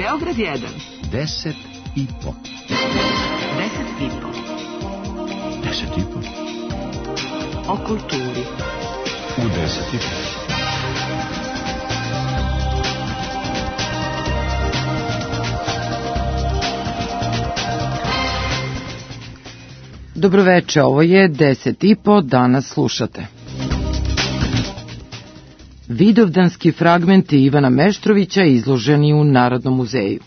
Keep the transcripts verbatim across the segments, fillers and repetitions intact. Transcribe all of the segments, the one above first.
Beograd jedan. Deset i po. Deset i po. Deset i po. O kulturi. U deset i po. Dobroveče, ovo je deset i po, danas slušate. Vidovdanski fragmenti Ivana Meštrovića izloženi u Narodnom muzeju.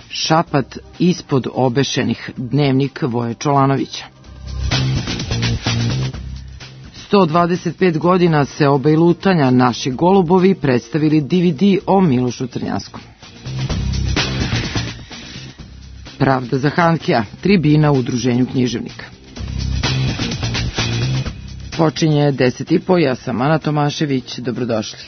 Šapat ispod obešenih, dnevnik Voje Čolanovića. sto dvadeset pet godina se obaj lutanja Naši golubovi predstavili D V D o Milošu Crnjanskom. Pravda za Hankija, tribina u Udruženju književnika. Počinje deset i po, ja sam Ana Tomašević, dobrodošli.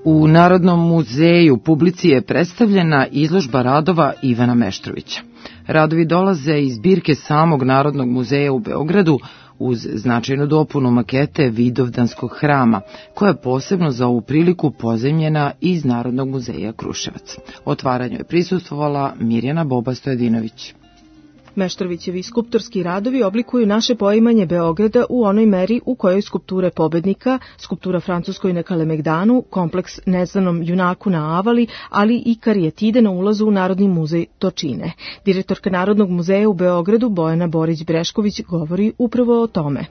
U Narodnom muzeju publici je predstavljena izložba radova Ivana Meštrovića. Radovi dolaze iz zbirke samog Narodnog muzeja u Beogradu uz značajnu dopunu makete Vidovdanskog hrama, koja je posebno za ovu priliku pozajmljena iz Narodnog muzeja Kruševac. Otvaranju je prisustvovala Mirjana Boba Stojadinović. Meštrovićevi skulptorski radovi oblikuju naše poimanje Beograda u onoj meri u kojoj skulpture pobednika, skulptura Francuskoj na Kalemegdanu, kompleks Neznanom junaku na Avali, ali i karijetide na ulazu u Narodni muzej to čine. Direktorka Narodnog muzeja u Beogradu Bojana Borić-Brešković govori upravo o tome.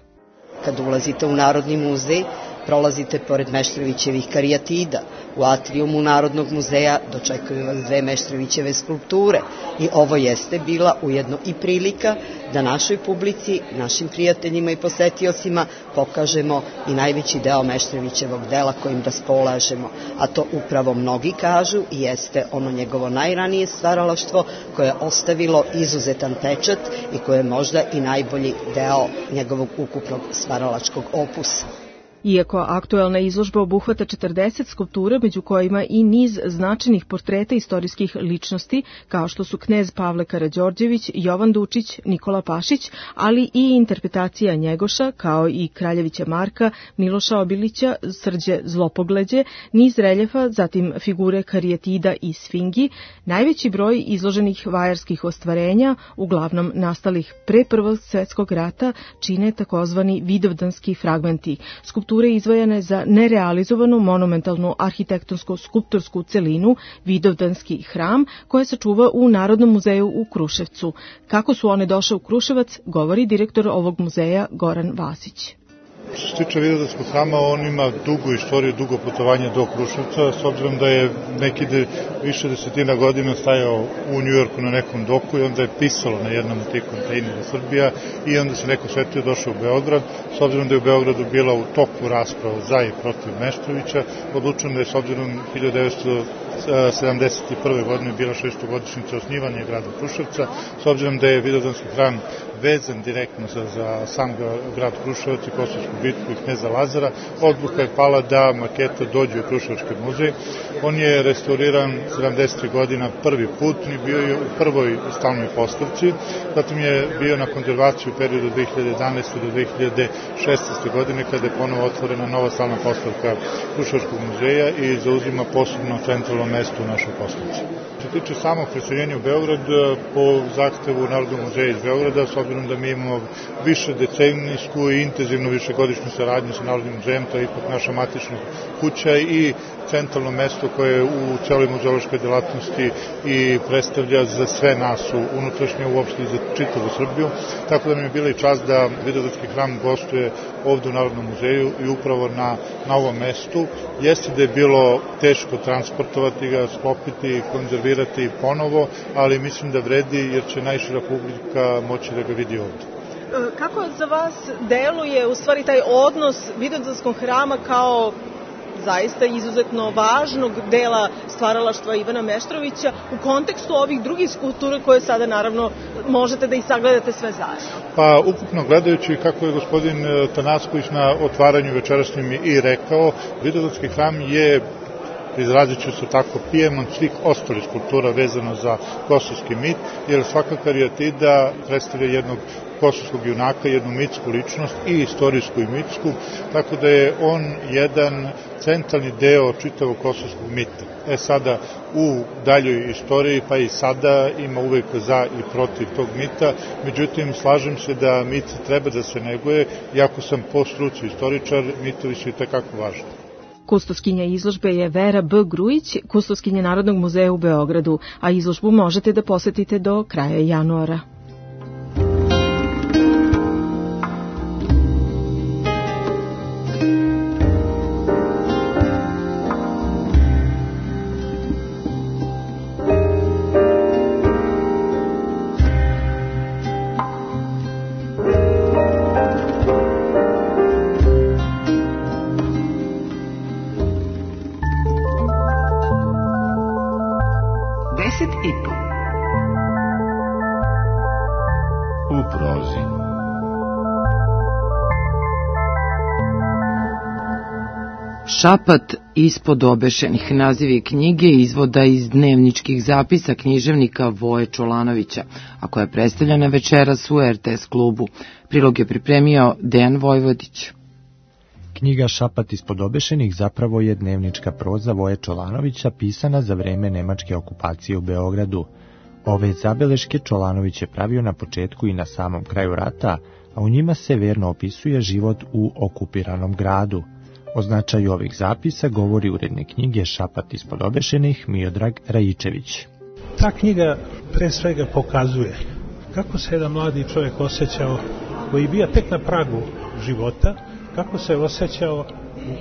Kad ulazite u Narodni muzej, prolazite pored Meštrovićevih karijatida. U atrijumu Narodnog muzeja dočekuju vas dve Meštrovićeve skulpture i ovo jeste bila ujedno i prilika da našoj publici, našim prijateljima i posetiocima pokažemo i najveći deo Meštrovićevog dela kojim raspolažemo, a to upravo mnogi kažu i jeste ono njegovo najranije stvaralaštvo koje je ostavilo izuzetan pečat i koje je možda i najbolji deo njegovog ukupnog stvaralačkog opusa. Iako aktuelna izložba obuhvata četrdeset skulptura, među kojima i niz značajnih portreta istorijskih ličnosti, kao što su knez Pavle Karađorđević, Jovan Dučić, Nikola Pašić, ali i interpretacija Njegoša, kao i Kraljevića Marka, Miloša Obilića, Srđe Zlopogleđe, niz reljefa, zatim figure karijetida i sfingi, najveći broj izloženih vajarskih ostvarenja, uglavnom nastalih pre Prvog svetskog rata, čine takozvani vidovdanski fragmenti, skulpture izvojene za nerealizovanu monumentalnu arhitektonsko-skulptorsku celinu Vidovdanski hram, koja se čuva u Narodnom muzeju u Kruševcu. Kako su one došle u Kruševac, govori direktor ovog muzeja Goran Vasić. Što se tiče Vidovdanskog hrama, on ima dugu istoriju, dugo putovanje do Kruševca, s obzirom da je neki de, više desetina godina stajao u Njujorku na nekom doku i onda je pisalo na jednom od tih kontejnera Srbija i onda se neko svetio došao u Beograd. S obzirom da je u Beogradu bila u toku rasprava za i protiv Meštrovića, odlučeno da je s obzirom hiljadu devetsto sedamdeset prve. godine bila šestogodišnjica osnivanja grada Kruševca, s obzirom da je Vidovdanski hram vezan direktno za, za sam grad Kruševac i Kosovsku bitku i kneza Lazara, odluka je pala da maketa dođe u Kruševački muzej. On je restauriran sedamdesetih godina prvi put i bio je u prvoj stalnoj postavci, zatim je bio na konzervaciju u periodu dve hiljade jedanaeste do dve hiljade šesnaeste. godine kada je ponovo otvorena nova stalna postavka Kruševačkog muzeja i zauzima posebno centralno mesto u našoj postavci. Što se tiče samog preseljenja u Beograd, po zahtevu Narodnog muzeja iz Beograda, s obzirom da mi imamo više decenijsku i intenzivnu višegodišnju saradnju sa Narodnim muzejem, to je ipak naša matična kuća i centralno mesto koje je u celoj muzeološkoj delatnosti i predstavlja za sve nas u unutrašnje, uopšte za čitavu Srbiju. Tako da mi je bila i čast da Vidovdanski hram gostuje ovde u Narodnom muzeju i upravo na, na ovom mestu. Jeste da je bilo teško transportovati ga, sklopiti, konzervirati ponovo, ali mislim da vredi jer će najšira publika moći da ga vidi ovde. Kako za vas deluje u stvari taj odnos Vidovdanskog hrama kao zaista izuzetno važnog dela stvaralaštva Ivana Meštrovića u kontekstu ovih drugih skulptura koje sada naravno možete da ih sagledate sve zajedno? Pa ukupno gledajući, kako je gospodin Tanasković na otvaranju večerašnjem i rekao, Vidovdanski hram je, izrazit ću se tako, pijemont svih ostalih skulptura vezano za kosovski mit, jer svaka karijatida predstavlja jednog kosovskog junaka, jednu mitsku ličnost i istorijsku i mitsku, tako da je on jedan centralni deo čitavog kosovskog mita. E sada, u daljoj istoriji, pa i sada ima uvek za i protiv tog mita, međutim, slažem se da mit treba da se neguje, iako sam po struci istoričar, mitovi su i tekako važni. Kustoskinja izložbe je Vera B. Grujić, kustoskinja Narodnog muzeja u Beogradu, a izložbu možete da posetite do kraja januara. Šapat ispod obešenih, nazivi knjige izvoda iz dnevničkih zapisa književnika Voje Čolanovića, a koja je predstavljena večeras u er te es klubu. Prilog je pripremio Dejan Vojvodić. Knjiga Šapat ispod obešenih zapravo je dnevnička proza Voje Čolanovića pisana za vreme nemačke okupacije u Beogradu. Ove zabeleške Čolanović je pravio na početku i na samom kraju rata, a u njima se verno opisuje život u okupiranom gradu. O značaju ovih zapisa govori urednik knjige Šapat ispod obešenih Miodrag Rajičević. Ta knjiga pre svega pokazuje kako se jedan mladi čovjek osjećao, koji je bio tek na pragu života, kako se osjećao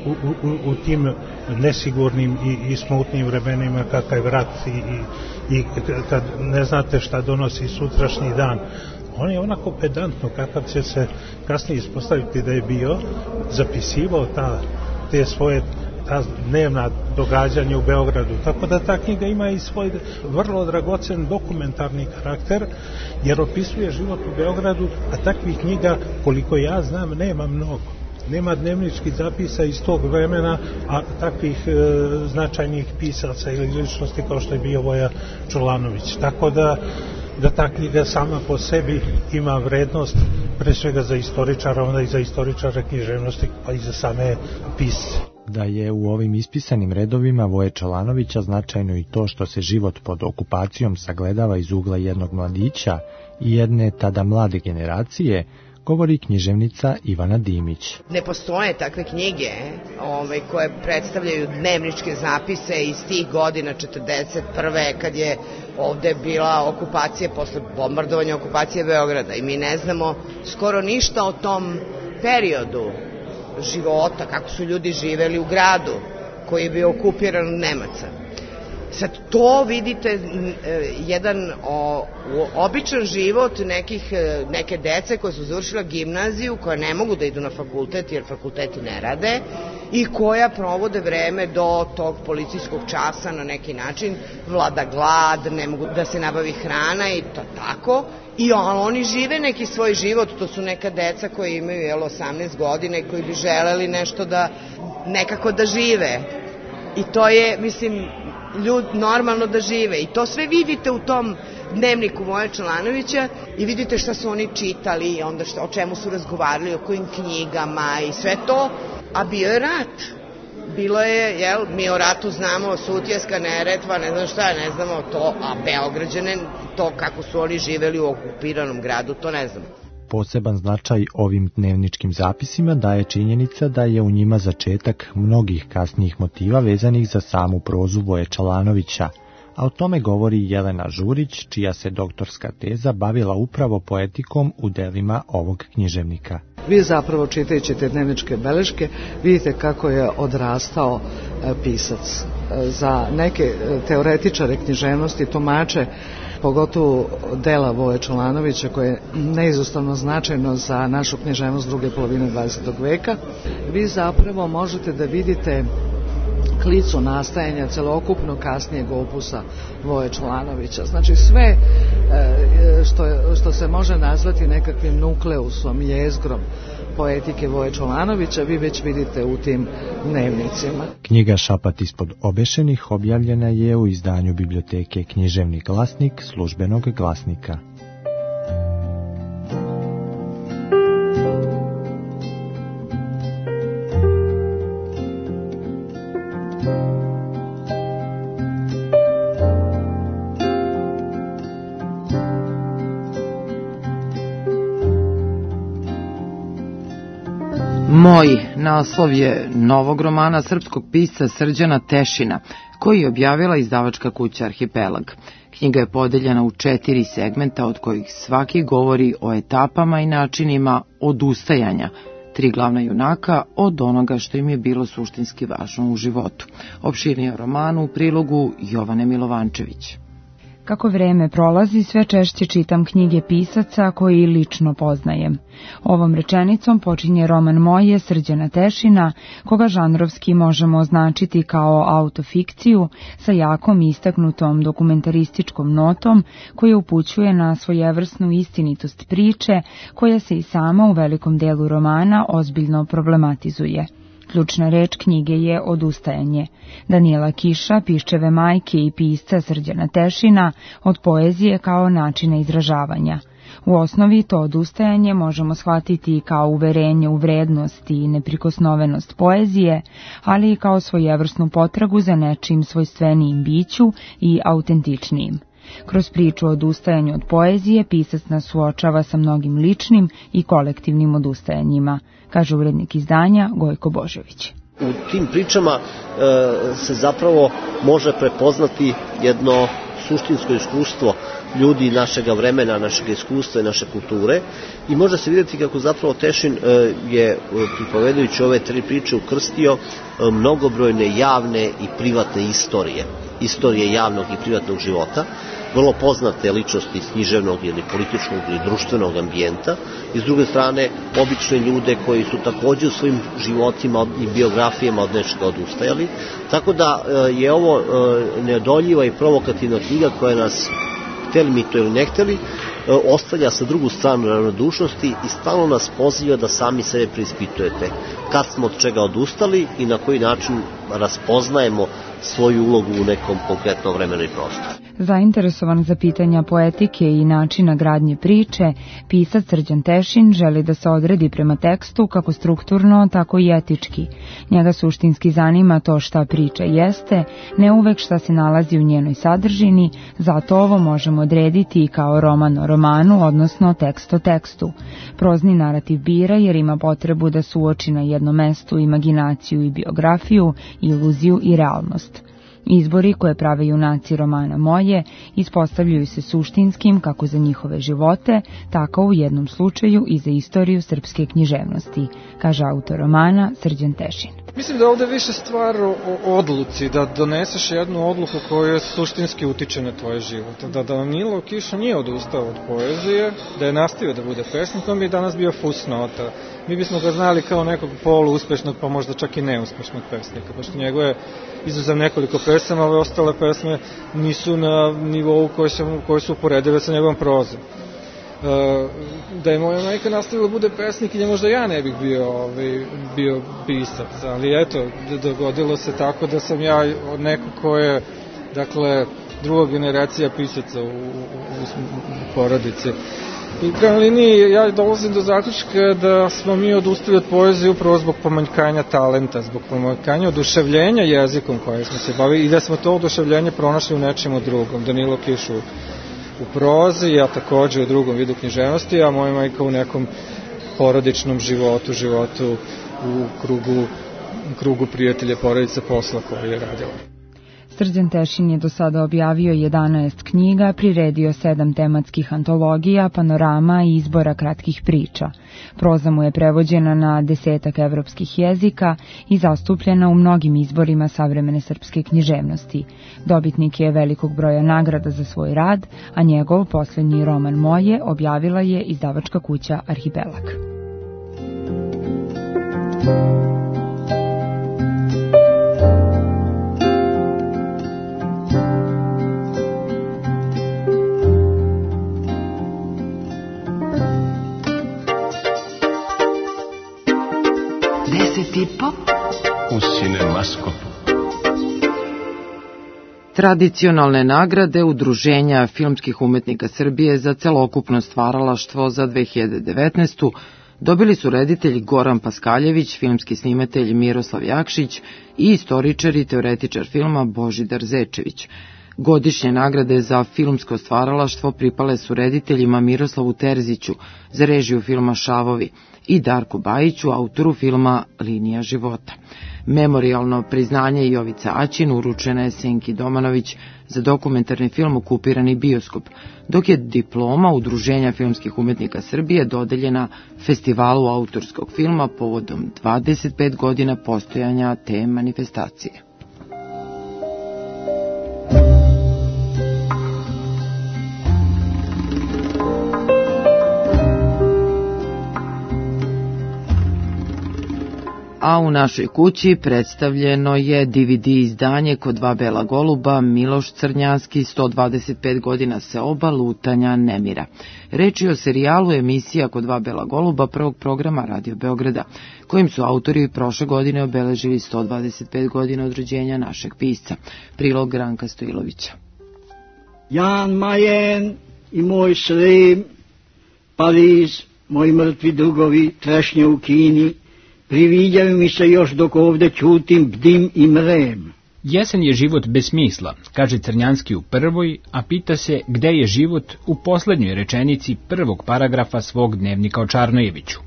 u, u, u, u tim nesigurnim i, i smutnim vremenima, kakav je rat i, i, i kad ne znate šta donosi sutrašnji dan. On je onako pedantno, kakav će se kasnije ispostaviti da je bio, zapisivao ta, te svoje ta dnevna događanja u Beogradu. Tako da ta knjiga ima i svoj vrlo dragocen dokumentarni karakter, jer opisuje život u Beogradu, a takvih knjiga, koliko ja znam, nema mnogo. Nema dnevničkih zapisa iz tog vremena, a takvih e, značajnih pisaca ili ličnosti kao što je bio Voja Čolanović. Tako da da ta knjiga sama po sebi ima vrednost pre svega za istoričara, onda i za istoričara književnosti, pa i za same pisce. Da je u ovim ispisanim redovima Voje Čolanovića značajno i to što se život pod okupacijom sagledava iz ugla jednog mladića i jedne tada mlade generacije, govori književnica Ivana Dimić. Ne postoje takve knjige ove, koje predstavljaju dnevničke zapise iz tih godina četrdeset prve kad je ovde bila okupacija, posle bombardovanja okupacije Beograda, i mi ne znamo skoro ništa o tom periodu života, kako su ljudi živeli u gradu koji je bio okupiran od Nemaca. Sad to vidite jedan o, običan život nekih, neke dece koje su završila gimnaziju, koja ne mogu da idu na fakultet jer fakulteti ne rade i koja provode vreme do tog policijskog časa na neki način, vlada glad, ne mogu da se nabavi hrana i to tako. I oni žive neki svoj život, to su neka deca koji imaju jel, osamnaest godina i koji bi želeli nešto da, nekako da žive. I to je, mislim, ljud normalno da žive. I to sve vidite u tom dnevniku Voje Čolanovića i vidite šta su oni čitali, onda šta, o čemu su razgovarali, o kojim knjigama i sve to. A bio je rat. Bilo je, jel, mi o ratu znamo, Sutjeska, Neretva, ne znam šta, ne znamo to, a Beograđane, to kako su oni živeli u okupiranom gradu, to ne znamo. Poseban značaj ovim dnevničkim zapisima daje činjenica da je u njima začetak mnogih kasnijih motiva vezanih za samu prozu Voje Čolanovića, a o tome govori Jelena Žurić, čija se doktorska teza bavila upravo poetikom u delima ovog književnika. Vi zapravo čitajući te dnevničke beleške vidite kako je odrastao pisac. Za neke teoretičare književnosti, tumače, pogotovo dela Voje Čolanovića, koje je neizostavno značajno za našu književnost druge polovine dvadesetog veka, vi zapravo možete da vidite klicu nastajanja celokupnog kasnijeg opusa Voje Čolanovića. Znači sve što, što se može nazvati nekakvim nukleusom, jezgrom poetike Voje Čolanovića, vi već vidite u tim dnevnicima. Knjiga Šapat ispod obešenih objavljena je u izdanju biblioteke Književni glasnik Službenog glasnika. Moj naslov je novog romana srpskog pisca Srđana Tešina, koji je objavila izdavačka kuća Arhipelag. Knjiga je podeljena u četiri segmenta, od kojih svaki govori o etapama i načinima odustajanja tri glavna junaka od onoga što im je bilo suštinski važno u životu. Opširnije o romanu u prilogu Jovane Milovančević. Kako vreme prolazi, sve češće čitam knjige pisaca koji lično poznajem. Ovom rečenicom počinje roman Moje Srđana Tešina, koga žanrovski možemo označiti kao autofikciju sa jakom istaknutom dokumentarističkom notom koja upućuje na svojevrsnu istinitost priče koja se i sama u velikom delu romana ozbiljno problematizuje. Ključna reč knjige je odustajanje. Danijela Kiša, piščeve majke i pisca Srđana Tešina, od poezije kao načina izražavanja. U osnovi to odustajanje možemo shvatiti kao uverenje u vrednost i neprikosnovenost poezije, ali i kao svojevrsnu potragu za nečim svojstvenijim biću i autentičnijim. Kroz priču o odustajanju od poezije pisac nas suočava sa mnogim ličnim i kolektivnim odustajanjima, kaže urednik izdanja Gojko Božović. U tim pričama e, se zapravo može prepoznati jedno suštinsko iskustvo ljudi našega vremena, našeg iskustva i naše kulture i može se vidjeti kako zapravo Tešin e, je, pripovedajući ove tri priče, ukrstio e, mnogobrojne javne i privatne istorije. Istorije javnog i privatnog života, vrlo poznate ličnosti iz književnog ili političkog ili društvenog ambijenta i s druge strane obične ljude koji su također u svojim životima i biografijama od nečega odustajali. Tako da je ovo neodoljiva i provokativna knjiga koja nas, hteli mi to ili ne hteli, ostavlja sa drugu stranu ravnodušnosti i stalno nas poziva da sami sebe preispitujete kad smo od čega odustali i na koji način raspoznajemo svoju ulogu u nekom konkretnom vremenu i prostoru. Zainteresovan za pitanja poetike i načina gradnje priče, pisac Srđan Tešin želi da se odredi prema tekstu kako strukturno, tako i etički. Njega suštinski zanima to šta priča jeste, ne uvek šta se nalazi u njenoj sadržini, zato ovo možemo odrediti i kao roman o romanu, odnosno tekst o tekstu. Prozni narativ bira jer ima potrebu da suoči na jednom mestu imaginaciju i biografiju, iluziju i realnost. Izbori koje prave junaci romana Moje ispostavljaju se suštinskim kako za njihove živote, tako u jednom slučaju i za istoriju srpske književnosti, kaže autor romana Srđan Tešin. Mislim da ovde više stvar o odluci, da doneseš jednu odluku koja suštinski utiče na tvoj život. Da Danilo Kiša nije odustao od poezije, da je nastavio da bude pesnik, on bi danas bio fusnota. Mi bismo ga znali kao nekog poluuspešnog, pa možda čak i neuspešnog pesnika, pošto njegove izuzev nekoliko pesama, ove ostale pesme nisu na nivou koji su, koji su uporedive sa njegovom prozom. E, da je moja majka nastavila bude pesnik i možda ja ne bih bio, ovaj, bio pisac, ali eto, dogodilo se tako da sam ja od nekog ko je, dakle, druga generacija pisaca u, u, u porodici. I kao liniji ja dolazim do zaključka da smo mi odustali od poezije upravo zbog pomanjkanja talenta, zbog pomanjkanja oduševljenja jezikom koje smo se bavili i da smo to oduševljenje pronašli u nečemu drugom. Danilo Kiš u, u prozi, ja takođe u drugom vidu književnosti, a moja majka u nekom porodičnom životu, životu u krugu, u krugu prijatelja, porodice, posla koje je radila. Srđan Tešin je do sada objavio jedanaest knjiga, priredio sedam tematskih antologija, panorama i izbora kratkih priča. Proza mu je prevođena na desetak evropskih jezika i zastupljena u mnogim izborima savremene srpske književnosti. Dobitnik je velikog broja nagrada za svoj rad, a njegov poslednji roman Moje objavila je izdavačka kuća Arhipelag. Tradicionalne nagrade Udruženja filmskih umetnika Srbije za celokupno stvaralaštvo za dve hiljade devetnaestu. dobili su reditelj Goran Paskaljević, filmski snimatelj Miroslav Jakšić i istoričar i teoretičar filma Božidar Zečević. Godišnje nagrade za filmsko stvaralaštvo pripale su rediteljima Miroslavu Terziću za režiju filma Šavovi i Darku Bajiću, autoru filma Linija života. Memorijalno priznanje Jovica Aćin uručena je Senki Domanović za dokumentarni film Okupirani bioskop, dok je diploma Udruženja filmskih umetnika Srbije dodeljena Festivalu autorskog filma povodom dvadeset pet godina postojanja te manifestacije. A u našoj kući predstavljeno je D V D izdanje Kod dva bela goluba, Miloš Crnjanski, sto dvadeset pet godina seoba, lutanja, nemira. Reč je o serijalu emisija Kod dva bela goluba prvog programa Radio Beograda, kojim su autori prošle godine obeležili sto dvadeset pet godina od rođenja našeg pisca. Prilog Ranka Stojilovića. Jan Majen i moj Srem, Pariz, moji mrtvi drugovi, trešnje u Kini, priviđaju mi se još dok ovde ćutim, bdim i mrem. Jesen je život bez smisla, kaže Crnjanski u prvoj, a pita se gde je život u poslednjoj rečenici prvog paragrafa svog dnevnika o Čarnojeviću.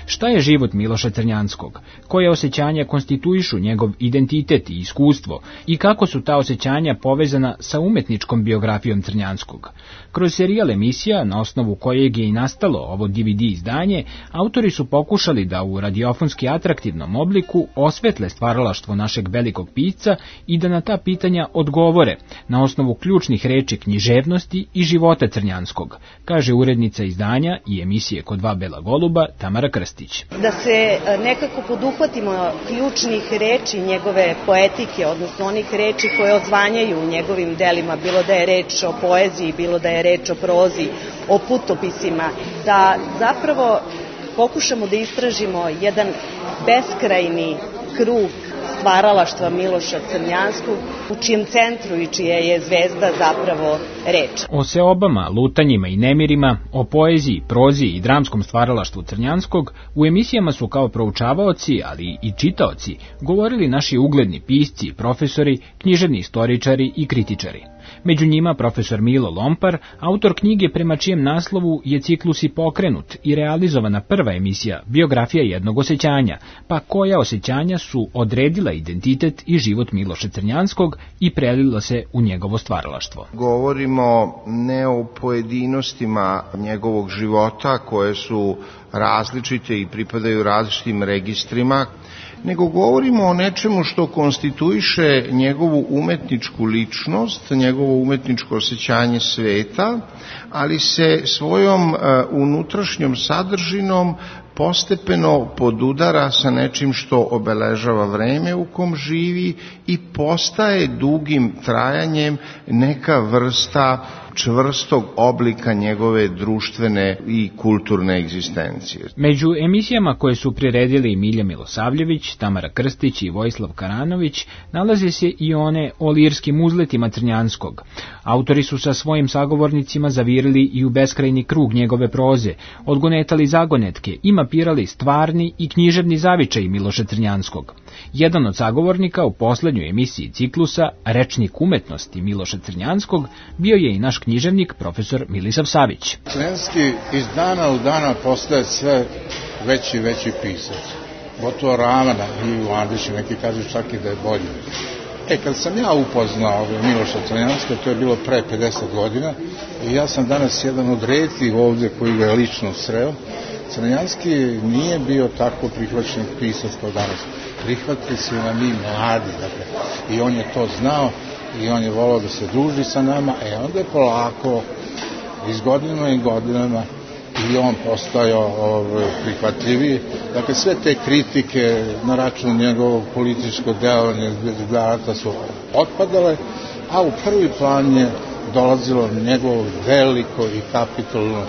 Šta je život Miloša Crnjanskog? Koje osjećanja konstituišu njegov identitet i iskustvo i kako su ta osjećanja povezana sa umetničkom biografijom Crnjanskog? Kroz serijal emisija, na osnovu kojeg je i nastalo ovo D V D izdanje, autori su pokušali da u radiofonski atraktivnom obliku osvetle stvaralaštvo našeg velikog pisca i da na ta pitanja odgovore na osnovu ključnih reči književnosti i života Crnjanskog, kaže urednica izdanja i emisije Kod dva bela goluba Tamara Krstić. Da se nekako poduhvatimo ključnih reči njegove poetike, odnosno onih reči koje odzvanjaju u njegovim delima, bilo da je reč o poeziji, bilo da je reč o prozi, o putopisima, da zapravo pokušamo da istražimo jedan beskrajni krug stvaralaštva Miloša Crnjanskog, u čijem centru i čija je zvezda zapravo reč. O seobama, lutanjima i nemirima, o poeziji, prozi i dramskom stvaralaštvu Crnjanskog u emisijama su kao proučavaoci, ali i čitaoci, govorili naši ugledni pisci, profesori, književni istoričari i kritičari. Među njima profesor Milo Lompar, autor knjige prema čijem naslovu je ciklus i pokrenut i realizovana prva emisija Biografija jednog osjećanja, pa koja osjećanja su odredila identitet i život Miloša Crnjanskog i prelila se u njegovo stvaralaštvo. Govorimo ne o pojedinostima njegovog života koje su različite i pripadaju različitim registrima, nego govorimo o nečemu što konstituiše njegovu umetničku ličnost, njegovo umetničko osjećanje sveta, ali se svojom uh, unutrašnjom sadržinom postepeno podudara sa nečim što obeležava vreme u kom živi i postaje dugim trajanjem neka vrsta čvrstog oblika njegove društvene i kulturne egzistencije. Među emisijama koje su priredili Milja Milosavljević, Tamara Krstić i Vojislav Karanović nalaze se i one o lirskim uzletima Crnjanskog. Autori su sa svojim sagovornicima zavirili i u beskrajni krug njegove proze, odgonetali zagonetke i mapirali stvarni i književni zavičaj Miloša Crnjanskog. Jedan od sagovornika u poslednjoj emisiji ciklusa, Rečnik umetnosti Miloša Crnjanskog, bio je i naš književnik profesor Milisav Savić. Crnjanski iz dana u dana postaje sve veći i veći pisac. Gotovo ravana i u Andiši, neki kažu čak i da je bolji. E, kad sam ja upoznao Miloša Crnjanska, to je bilo pre pedeset godina, i ja sam danas jedan od retkih ovde koji ga je lično sreo. Crnjanski nije bio tako prihvaćen pisac kao danas. Prihvatili su na mi mladi, dakle, i on je to znao i on je volao da se druži sa nama, e onda je polako, iz godinama i godinama, i on postajao ovaj, prihvatljiviji. Dakle, sve te kritike na račun njegovog političkog delovanja su otpadale, a u prvi plan je dolazilo njegovo veliko i kapitalno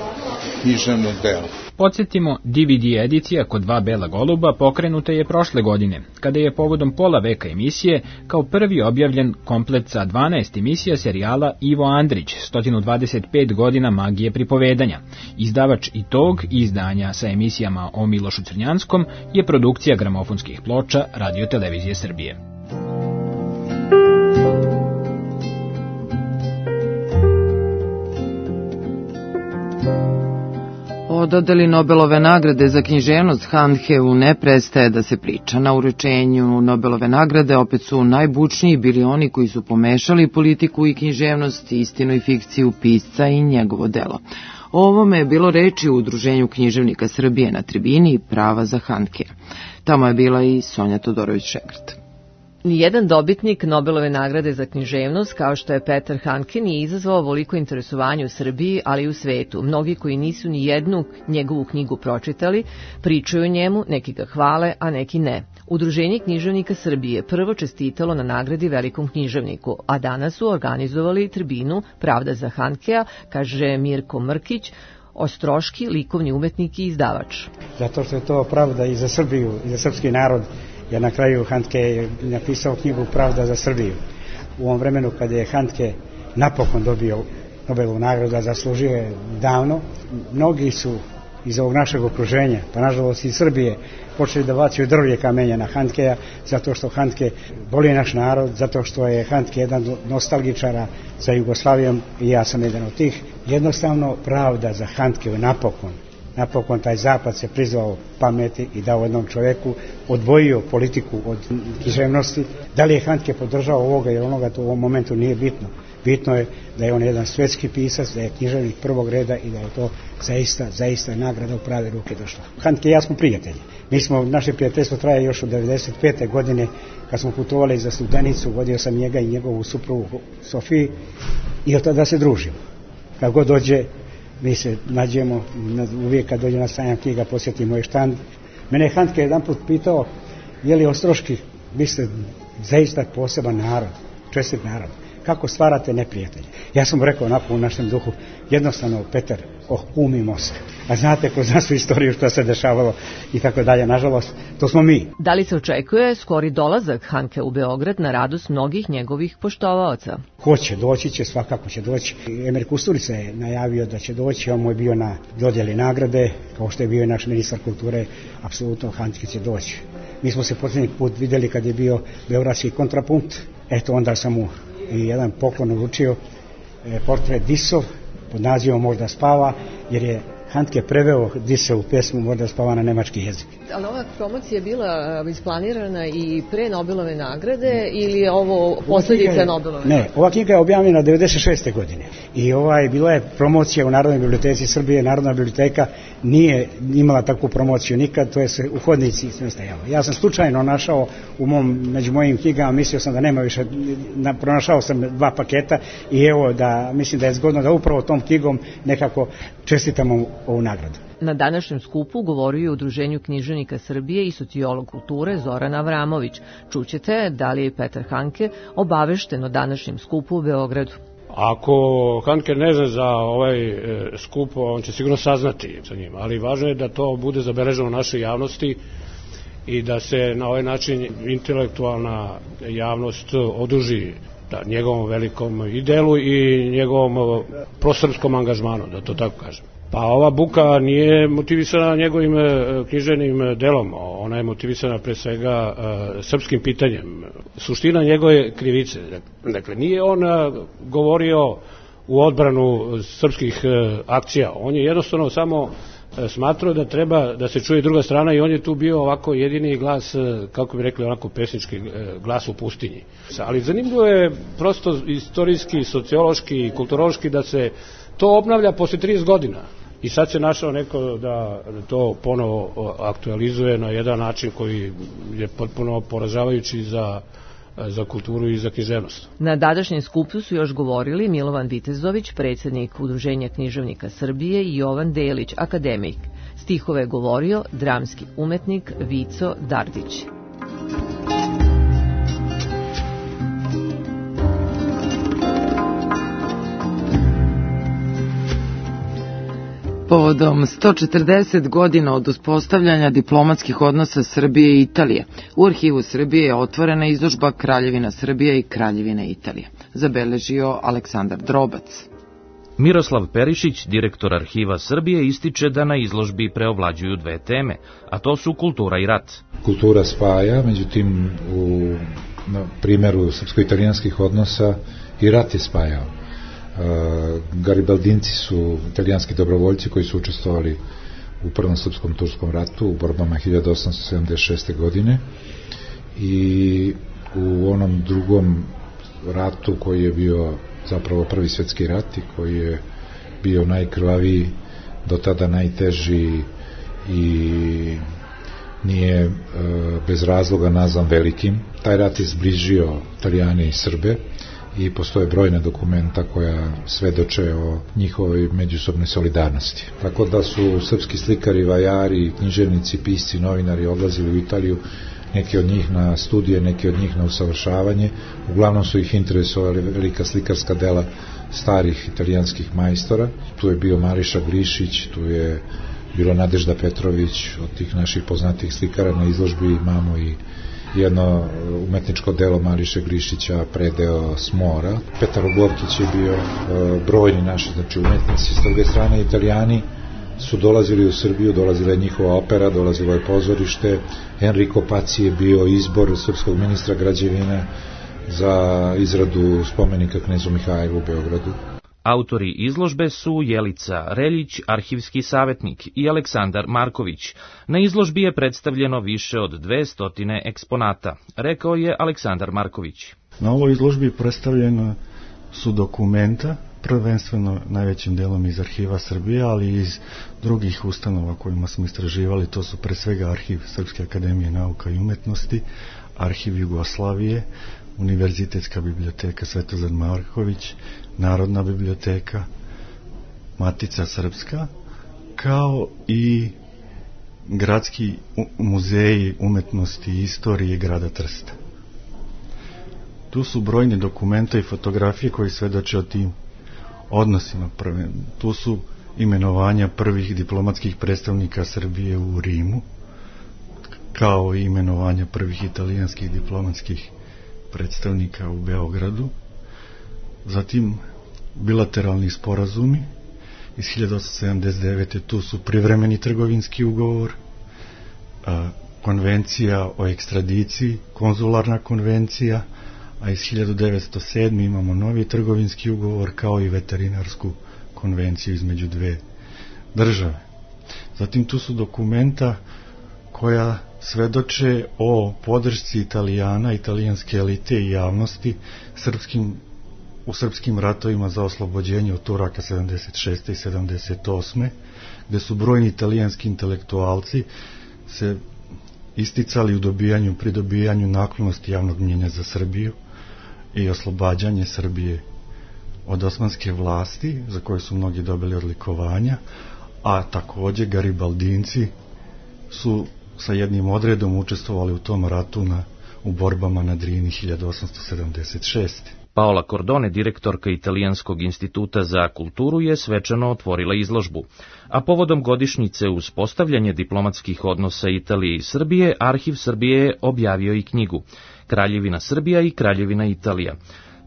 književno delo. Podsjetimo, D V D edicija Kod dva bela goluba pokrenuta je prošle godine, kada je povodom pola veka emisije kao prvi objavljen komplet sa dvanaest emisija serijala Ivo Andrić, sto dvadeset pet godina magije pripovedanja. Izdavač i tog izdanja sa emisijama o Milošu Crnjanskom je produkcija gramofonskih ploča Radio Televizije Srbije. O dodeli Nobelove nagrade za književnost Handkeu ne prestaje da se priča. Na uručenju Nobelove nagrade opet su najbučniji bili oni koji su pomešali politiku i književnost, istinu i fikciju pisca i njegovo delo. O ovome je bilo reči u Udruženju književnika Srbije na tribini Prava za Handkea. Tamo je bila i Sonja Todorović-Šegrt. Nijedan dobitnik Nobelove nagrade za književnost, kao što je Petar Handke, nije izazvao ovoliko interesovanje u Srbiji, ali i u svetu. Mnogi koji nisu ni jednu njegovu knjigu pročitali, pričaju o njemu, neki ga hvale, a neki ne. Udruženje književnika Srbije prvo čestitalo na nagradi velikom književniku, a danas su organizovali tribinu Pravda za Handkea, kaže Mirko Mrkić, ostroški likovni umetnik i izdavač. Zato što je to pravda i za Srbiju, i za srpski narod, jer na kraju Handke je napisao knjigu Pravda za Srbiju. U ovom vremenu kada je Handke napokon dobio Nobelovu nagradu, a zaslužio je davno, mnogi su iz ovog našeg okruženja, pa nažalost iz Srbije, počeli da bacaju drvlje kamenja na Handkeja, zato što Handke voli naš narod, zato što je Handke jedan nostalgičara za Jugoslavijom i ja sam jedan od tih. Jednostavno pravda za Handkeu napokon. Napokon taj zapad se prizvao pameti i dao jednom čoveku, odvojio politiku od književnosti. Da li je Handke podržao ovoga ili onoga, to u ovom momentu nije bitno. Bitno je da je on jedan svetski pisac, da je književnik prvog reda i da je to zaista, zaista nagrada u prave ruke došla. Handke i ja smo prijatelji. Mi smo, naše prijateljstvo traje još od devedeset pete godine, kad smo putovali za Studenicu, vodio sam njega i njegovu suprugu Sofiji i od tada se družimo. Kad god dođe, mi se nađemo, uvijek kad dođe na sajam knjiga posjeti moj štand. Mene je Handke jedan put pitao, je li ostroški, vi ste zaista poseban narod, čestit narod, kako stvarate neprijatelje? Ja sam mu rekao onako u našem duhu, jednostavno, Petar, oh, umimo se. A znate kroz našu istoriju što se dešavalo i tako dalje, nažalost, to smo mi. Da li se očekuje skori dolazak Handke u Beograd na radost mnogih njegovih poštovaoca? Ko će doći će, svakako će doći. Emir Kusturica je najavio da će doći, on mu je bio na dodjeli nagrade, kao što je bio i naš ministar kulture, apsolutno Handke će doći. Mi smo se posljednji put videli kad je bio beogradski kontrapunkt, eto onda sam mu i jedan poklon uručio, e, portret Disov, pod nazivom Možda spava, jer je Handke preveo Disovu pesmu Možda spava na nemački jezik. Ali ova promocija je bila isplanirana i pre Nobelove nagrade ili je ovo posljedica Nobelove? Ne, ova knjiga je objavljena devedeset šeste godine i ovaj, bila je promocija u Narodnoj biblioteci Srbije. Narodna biblioteka nije imala takvu promociju nikad, to je se u hodnici sve stajalo. Ja sam slučajno našao u mom, među mojim knjigama, mislio sam da nema više, na, pronašao sam dva paketa i evo da, mislim da je zgodno da upravo tom knjigom nekako čestitamo ovu nagradu. Na današnjem skupu govorio je u Udruženju književnika Srbije i sociolog kulture Zoran Avramović. Čućete da li je Petar Handke obavešten o današnjem skupu u Beogradu. Ako Handke ne zna za ovaj skup, on će sigurno saznati sa njim, ali važno je da to bude zabeleženo u našoj javnosti i da se na ovaj način intelektualna javnost oduži da, njegovom velikom i delu i njegovom prosrpskom angažmanu, da to tako kažem. Pa ova buka nije motivisana njegovim književnim delom, ona je motivisana pre svega uh, srpskim pitanjem. Suština njegove krivice, dakle, nije on uh, govorio u odbranu srpskih uh, akcija, on je jednostavno samo uh, smatrao da treba da se čuje druga strana i on je tu bio ovako jedini glas, uh, kako bi rekli, onako pesnički uh, glas u pustinji. Ali zanimljivo je prosto istorijski, sociološki i kulturološki da se to obnavlja posle trideset godina. I sad se našao neko da to ponovo aktualizuje na jedan način koji je potpuno poražavajući za, za kulturu i za književnost. Na današnjem skupu su još govorili Milovan Vitezović, predsjednik Udruženja književnika Srbije, i Jovan Delić, akademik. Stihove je govorio dramski umetnik Vico Dardić. Povodom sto četrdeset godina od uspostavljanja diplomatskih odnosa Srbije i Italije, u Arhivu Srbije je otvorena izložba Kraljevina Srbije i Kraljevine Italije, zabeležio Aleksandar Drobac. Miroslav Perišić, direktor Arhiva Srbije, ističe da na izložbi preovlađuju dve teme, a to su kultura i rat. Kultura spaja, međutim u na primjeru srpsko-italijanskih odnosa i rat je spajao. Garibaldinci su italijanski dobrovoljci koji su učestvovali u Prvom srpskom turskom ratu u borbama hiljadu osamsto sedamdeset šeste. godine i u onom drugom ratu koji je bio zapravo Prvi svjetski rat i koji je bio najkrvaviji, do tada najteži i nije e, bez razloga nazvan velikim. Taj rat je zbližio Italijane i Srbe i postoje brojne dokumenta koja svedoče o njihovoj međusobnoj solidarnosti. Tako da su srpski slikari, vajari, književnici, pisci, novinari odlazili u Italiju, neki od njih na studije, neki od njih na usavršavanje. Uglavnom su ih interesovali velika slikarska dela starih italijanskih majstora. Tu je bio Mariša Glišić, tu je bilo Nadežda Petrović, od tih naših poznatih slikara na izložbi imamo i jedno umetničko delo Mariše Glišića, predeo Smora. Petar Ogorkić je bio brojni naši, znači umetnici. S druge strane, Italijani su dolazili u Srbiju, dolazila je njihova opera, dolazilo je pozorište. Enrico Paci je bio izbor srpskog ministra građevine za izradu spomenika knezu Mihajlu u Beogradu. Autori izložbe su Jelica Reljić, arhivski savjetnik, i Aleksandar Marković. Na izložbi je predstavljeno više od dvesta eksponata, rekao je Aleksandar Marković. Na ovoj izložbi predstavljena su dokumenta, prvenstveno najvećim delom iz Arhiva Srbije, ali i iz drugih ustanova kojima smo istraživali. To su pre svega Arhiv Srpske akademije nauka i umetnosti, Arhiv Jugoslavije, Univerzitetska biblioteka Svetozar Marković, Narodna biblioteka, Matica Srpska, kao i gradski muzeji umetnosti i istorije grada Trsta. Tu su brojni dokumenta i fotografije koji svedoče o tim odnosima. Tu su imenovanja prvih diplomatskih predstavnika Srbije u Rimu, kao i imenovanja prvih italijanskih diplomatskih predstavnika u Beogradu. Zatim bilateralni sporazumi iz hiljadu osamsto sedamdeset devete. Tu su privremeni trgovinski ugovor, konvencija o ekstradiciji, konzularna konvencija, a iz hiljadu devetsto sedme. imamo novi trgovinski ugovor kao i veterinarsku konvenciju između dve države. Zatim tu su dokumenta koja svedoče o podršci Italijana, italijanske elite i javnosti srpskim, u srpskim ratovima za oslobođenje od Turaka sedamdeset šeste i sedamdeset osme. gde su brojni italijanski intelektualci se isticali u dobijanju, pridobijanju naklonosti javnog mnjenja za Srbiju i oslobađanje Srbije od osmanske vlasti, za koje su mnogi dobili odlikovanja, a takođe Garibaldinci su sa jednim odredom učestvovali u tom ratu na, u borbama na Drini hiljadu osamsto sedamdeset šeste. Paola Cordone, direktorka Italijanskog instituta za kulturu, je svečano otvorila izložbu, a povodom godišnjice uspostavljanja diplomatskih odnosa Italije i Srbije, Arhiv Srbije je objavio i knjigu Kraljevina Srbija i Kraljevina Italija,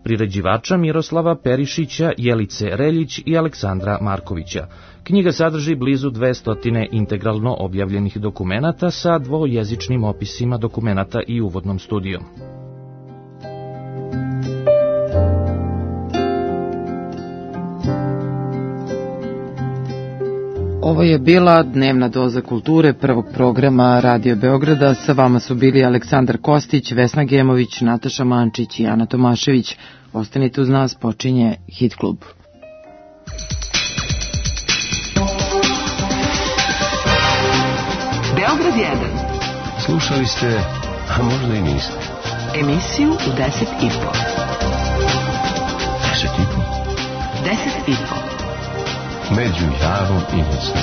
priređivača Miroslava Perišića, Jelice Reljić i Aleksandra Markovića. Knjiga sadrži blizu dvesta integralno objavljenih dokumenata sa dvojezičnim opisima dokumenata i uvodnom studijom. Ovo je bila dnevna doza kulture prvog programa Radio Beograda. Sa vama su bili Aleksandar Kostić, Vesna Gemović, Nataša Mančić i Ana Tomašević. Ostanite uz nas, počinje Hit klub. Beograd jedan. Slušali ste, a možda i niste. Emisiju u deset i po. Deset i po? Deset i po. Među Javom i Nosnom.